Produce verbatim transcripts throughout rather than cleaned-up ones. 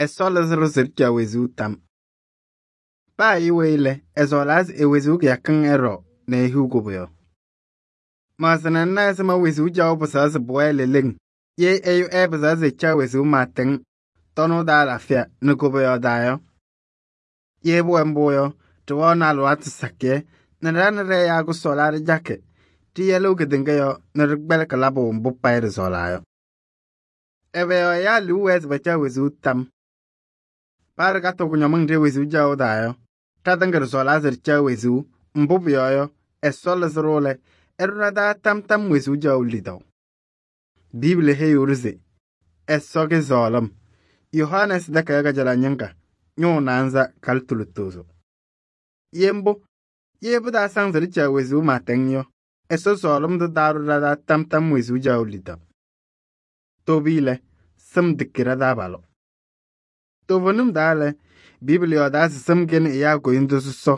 Ɛsɔ lɩzɩ-ɖʋ se ɖɩcaɣ wezuu tam. Paa ɛyʋ weyi lɛ, ɛsɔɔlaa se e-wezuu kɩyakɩŋ ɛɖɔ nɛ ehiɣ koboyaɣ. Maɣzɩna ŋna ɛzɩma wezuu caɣʋ pɩsɛɣ se pʋwɛɛ leleŋ ye ɛyʋ ɛɛpɩzaɣ se ɛcaɣ wezuu pɩɩtɛŋ tɔnʋʋ taa alaafɩya nɛ koboyaɣ taa yɔ. Ye pʋwɛ mbʋ yɔ, ɖɩwɛɣnɩ alɩwaatʋ sakɩyɛ nɛ ɖa nɛ ɖɛ-ɛyaa kʋsɔɔlaa ɖɩcakɩ ɖɩyɛlɩɣ kedeŋa yɔɔ nɛ ɖɩkpɛlɩkɩ labʋ mbʋ payɩ ɖɩsɔɔlaa yɔ. Ɛbɛ yɔɔ ɛyaa liu wɛɛ se pacaɣ wezuu tam? Paa ɖɩkatɩɣ kʋñɔmɩŋ ɖe wezuu caɣʋ taa yɔ, ɖatɩŋa ɖɩsɔɔlaa se ɖɩcaɣ wezuu, mbʋ pʋyɔɔ yɔ, Ɛsɔ lɩzɩ-ɖʋ lɛ, ɛɖʋ ɖa-taa tam-tam wezuu caɣʋ lidaʋ. Biibili heyiɣ-ɖʋ se Ɛsɔ kɩsɔɔlɩm. Yohanɛɛsɩ takayaɣ kajalaɣ ñɩŋga ñʋʋ naanza kalɩtʋ lutozo. Ye mbʋ, ye pɩtaasaŋ se ɖɩcaɣ wezuu pɩɩtɛŋ yɔ, Ɛsɔ sɔɔlɩm tʋ taaɖʋ ɖa-taa tam-tam wezuu caɣʋ lidaʋ. Tooveyi lɛ, sɩm tiki ɖa-taabalʋ. Toovenim taa lɛ, Biibili yɔɔdaa se sɩm kɛnɩ ɛyaa koyindu sɔsɔ.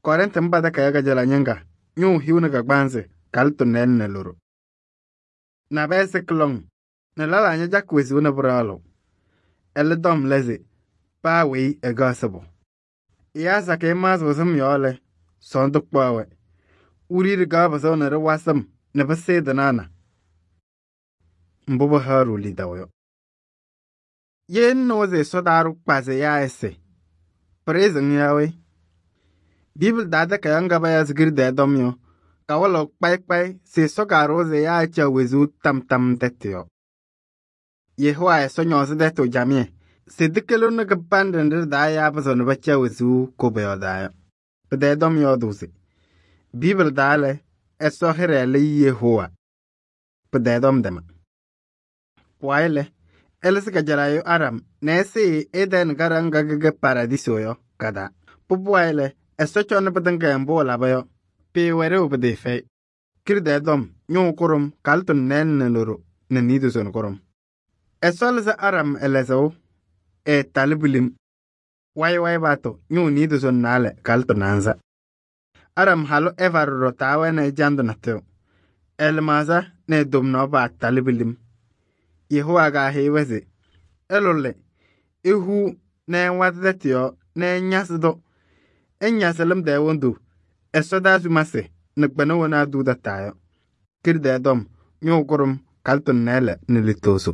Kɔrɩntɩ mba takayaɣ kajalaɣ ñɩŋga ñʋʋ hiu nɛ kagbaanzɩ kalɩtʋ nɛɛlɩ nɛ loɖo. Nabɛyɛ sɩkɩ lɔŋ nɛ lɛlaa ñacakɩ wezuu nɛ pɩɖaɣlɩɣ. Ɛlɛ tɔm lɛ se paa weyi ɛkɛɣ sɩbʋ. Ɛyaa sakɩyɛ maɣzɩɣ sɩm yɔɔ lɛ, sɔɔndʋ kpaɣ-wɛ. Wiɖiyi ɖɩkaɣ pɩsʋʋ nɛ ɖɩwa sɩm nɛ pɩsɩɩ tɩnaɣna. Mbʋ pɩhaɣ-ɖʋ lidaʋ yɔ. Ye ŋnɩɣ se Ɛsɔ taa-ɖʋ kpazɩyaa ɛsɩ, pɩrɩzɩ-ŋ yaa we? Biibili taa takayaɣ ŋga payaɣ se Kiridɛɛ tɔm yɔ, kawɩlɩɣ kpayɩ kpayɩ se Ɛsɔ kaaɖʋʋ se ɛyaa ɛcaɣ wezuu tam tam tɛtʋ yɔ. Yehova Ɛsɔ ñɔɔzɩ tɛtʋ camɩyɛ se tɩkɩlɩɣnɩ kɩbanɖɛ nɖɩ ɖɩ-taa ɛyaa pɩzɩɣ nɛ pacaɣ wezuu koboyaɣ taa yɔ. Pɩtɛɛ tɔm yɔɔdʋʋ se Biibili taa lɛ, Ɛsɔ hɩɖɛ lɛ Yehova. Pɩtɛɛ tɔm tɛma. Pʋwayɩ lɛ, ɛlɩsɩ kajalaɣ Adam nɛ ɛsɩɩ Edɛɛnɩ kadaŋ ŋga kɛkɛ Paradiso yɔ ka-taa. Pʋbʋwayɩ lɛ, Ɛsɔ cɔnɩ pɩtɩŋa mbʋ ɛlaba yɔ, pɩɩwɛ ɖeu pɩtɩɩfɛyɩ. Kiridɛɛ tɔm ñʋʋ kʋɖʋm kalɩtʋ nɛɛlɩ nɛ loɖo nɛ niidozo nɛ kʋɖʋm. Ɛsɔ lɩzɩ Adam ɛlɛzɩɣ, ɛɛtalɩ pilim. Wayɩ wayɩ paatʋ ñʋʋ niidozo nɛ naalɛ kalɩtʋ naanza. Adam halʋ Ɛva ɖɔɖɔ taawɛnɩ ɛjandʋ natʋyʋ. Ɛ-lɩmaɣza nɛ ɛ-tomnaɣ paatalɩ pilim. Yehova kaahɛyɩ-wɛ se ɩlʋlɩ, ihu nɛ ɩwatɩ tɛtʋ yɔɔ nɛ ɩñasɩ-tʋ. Ɩñasɩ lɩm tɛɛ wondu, ɛsɔdaa sumasɩ nɛ kpɛna wena aduu tataa yɔ. Kiridɛɛ tɔm ñʋʋ kʋɖʋm kalɩtʋ nɛɛlɛ nɛ lutozo.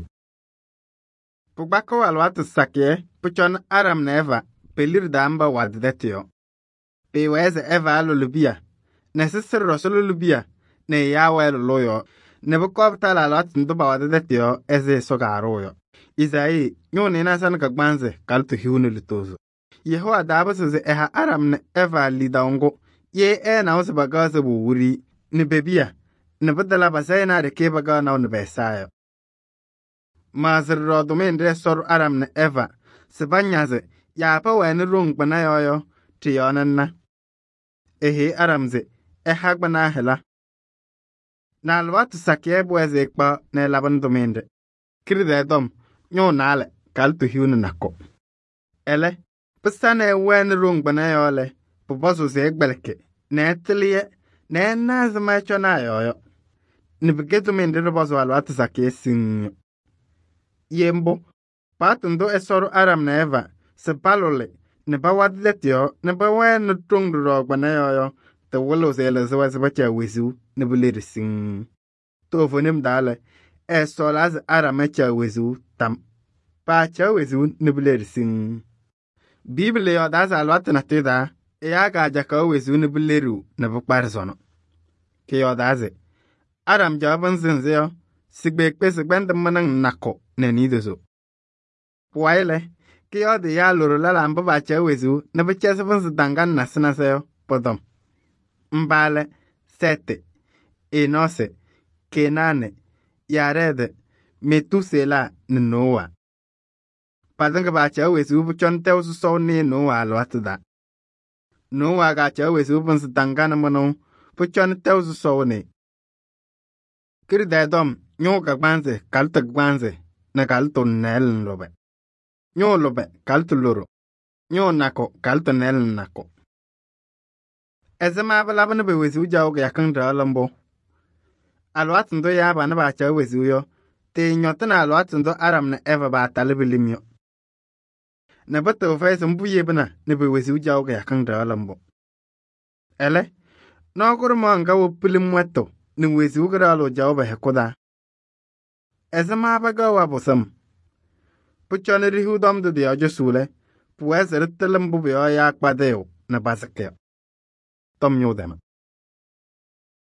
Pɩkpakɩɣ alɩwaatʋ sakɩyɛ pʋcɔnɩ Adam nɛ Ɛva pe-liɖe taa mba watɩ tɛtʋ yɔ. Pɩɩwɛɛ se Ɛva ɛlʋlɩ piya nɛ sɩsɩ ɖɔsɔ lʋlɩ piya nɛ ɛyaa wɛɛ lʋlʋʋ yɔɔ nɛ pʋkɔɔ pɩtalɩ alɩwaatʋ ndʋ pawatɩ tɛtʋ yɔ ɛzɩ Ɛsɔ kaaɖʋʋ yɔ. Isaayii ñʋʋ nɩɩnaza nɛ kagbaanzɩ kalɩtʋ hiu nɛ lutozo. Yehova taapɩsɩ se ɛha Adam nɛ Ɛva lidaʋ ŋgʋ ye ɛɛnaʋ se pakaɣ sɩbʋ wiɖiyi nɛ pe-piya nɛ pɩtala pasɛyɩnɩ a-ɖɩkɩyɛ pakaɣ naʋ nɛ pɛ-ɛza yɔ. Maɣzɩ ɖɔɖɔ tʋmɩyɛ nɖɩ Ɛsɔ ɖʋ Adam nɛ Ɛva se pañazɩ yaa pɛwɛɛnɩ ɖoŋ kpɩna yɔɔ yɔ, ɖɩ-yɔɔ nɛ ŋna. Eheyi Adam se ɛha kpɩnaa hɩla. Nɛ alɩwaatʋ sakɩyɛ pʋwɛɛ se ɛkpaɣ nɛ ɛlabɩnɩ tʋmɩyɛ nɖɩ. Kiridɛɛ tɔm ñʋʋ naalɛ kalɩtʋ hiu nɛ nakʋ. Ɛlɛ, pɩsa nɛ ɛwɛɛnɩ ɖoŋ kpɩna yɔɔ lɛ, pʋpɔzʋʋ se ɛkpɛlɩkɩ nɛ ɛtɩlɩ-yɛ nɛ ɛna ɛzɩma ɛcɔnɩ a-yɔɔ yɔ. Nɛ pɩkɛ tʋmɩyɛ nɖɩ ɖɩpɔzʋʋ alɩwaatʋ sakɩyɛ siŋŋ yɔ. Ye mbʋ, paɣtʋ ndʋ Ɛsɔ ɖʋ Adam nɛ Ɛva se palʋlɩ nɛ pawatɩ tɛtʋ yɔɔ nɛ pɛwɛɛnɩ ɖoŋ ɖɩɖɔɔ kpɩna yɔɔ yɔ, tɩwɩlɩɣ se ɛlɩzɩ-wɛ se pacaɣ wezuu nɛ pɩleɖe siŋŋ. Toovenim taa lɛ, ɛɛsɔɔlaa se Adam ɛcaɣ wezuu tam. Paacaɣ wezuu nɛ pɩleɖe siŋŋ. Biibili yɔɔdaa se alɩwaatʋ natʋyʋ taa, ɛyaa kaacakaɣ wezuu nɛ pɩleɖiɣ nɛ pɩkparɩ sɔnɔ. Kɩyɔɔdaa se Adam caɣ pɩnzɩ yɔ, si-kpeekpe sɩgbɛndɩ mɩnɩŋ nakʋ nɛ niidozo. Pʋwayɩ lɛ, kɩyɔɔdɩ ɛyaa loɖo lɛlaa mba paacaɣ wezuu nɛ pɩcɛzɩ pɩnzɩ daŋganɩ nasɩ nasɩ yɔ, pʋ-tɔm. Mba lɛ Sɛɛtɩ, Enɔɔsɩ, Kenaanɩ, Yaarɛɛdɩ, Metusela nɛ Nowa. Patɩŋa paacaɣ wezuu pʋcɔnɩ tɛʋ sɔsɔʋ nɩɩ Nowa alɩwaatʋ taa. Nowa kaacaɣ wezuu pɩnzɩ daŋganɩ mɩnʋʋ pʋcɔnɩ tɛʋ sɔsɔʋ nɩɩ. Kiridɛɛ tɔm ñʋʋ kagbaanzɩ kalɩtʋ kagbaanzɩ nɛ kalɩtʋ nɛɛlɩ nɛ lʋbɛ. Ñʋʋ lʋbɛ kalɩtʋ loɖo. Ñʋʋ nakʋ kalɩtʋ nɛɛlɩ nɛ nakʋ. Ɛzɩma pɩlabɩ nɛ pe-wezuu caɣʋ kɩyakɩŋ ɖɩɣlɩ mbʋ? Alɩwaatʋ ndʋ ɛyaa panɩ paacaɣ wezuu yɔ, tɩɩñɔtɩnɩ alɩwaatʋ ndʋ Adam nɛ Ɛva paatalɩ pilim yɔ. nɛ pɩtɩɣ fɛyɛ se mbʋ yebina nɛ pe-wezuu caɣʋ kɩyakɩŋ ɖɩɣlɩ mbʋ. Ɛlɛ, nɔɔ kʋɖʋmaɣ ŋga wɛ pilim wɛtʋ nɛ wezuu kɩɖaɣlʋ caɣʋ pɛ-hɛkʋ taa. Ɛzɩma pɛkɛɣ wabʋsɩm? Pʋcɔ nɛ ɖihiɣ tɔm tʋ tɩ-yɔɔ cɔsʋʋ lɛ, pʋwɛɛ se ɖɩtɩlɩ mbʋ pʋ-yɔɔ ɛyaa kpadɩyʋ nɛ pasɩkɩ yɔ. Tɔm ñʋʋ tɛma.